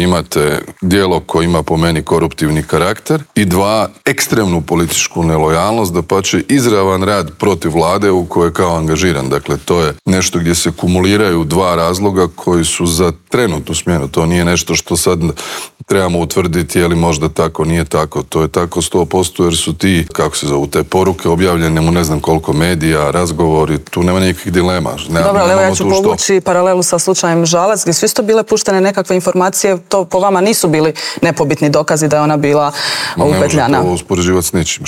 Imate djelo koje ima po meni koruptivni karakter i 2, ekstremnu političku nelojalnost, dapače izravan rad protiv vlade u kojoj je kao angažiran. Dakle, to je nešto gdje se kumuliraju 2 razloga koji su za trenutnu smjenu. To nije nešto što sad trebamo utvrditi je li možda tako, nije tako. To je tako 100% jer su ti, kako se zovu, te poruke objavljene u ne znam koliko medija, razgovori, tu nema nikakvih dilema. Dobro, ali evo ja ću povući paralelu sa slučajem Žalac, gdje su isto bile puštene nekakve informacije, to po vama nisu bili nepobitni dokazi da je ona bila upetljana. Ne možete ovo uspoređivati s ničim.